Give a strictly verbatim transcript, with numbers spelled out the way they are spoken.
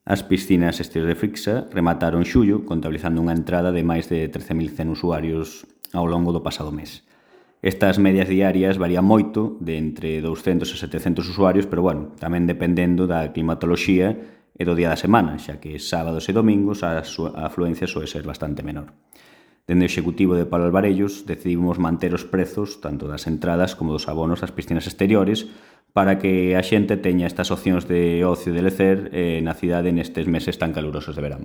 As piscinas exteriores de Frixa remataron xullo, contabilizando unha entrada de máis de trece mil cen usuarios ao longo do pasado mes. Estas medias diarias varían moito, de entre douscentos e setecentos usuarios, pero, bueno, tamén dependendo da climatoloxía e do día da semana, xa que sábados e domingos a afluencia soe ser bastante menor. Dende o Executivo de Palo Alvarellos decidimos manter os prezos tanto das entradas como dos abonos das piscinas exteriores para que a xente teña estas opcións de ocio e de lecer eh, na cidade nestes meses tan calurosos de verán.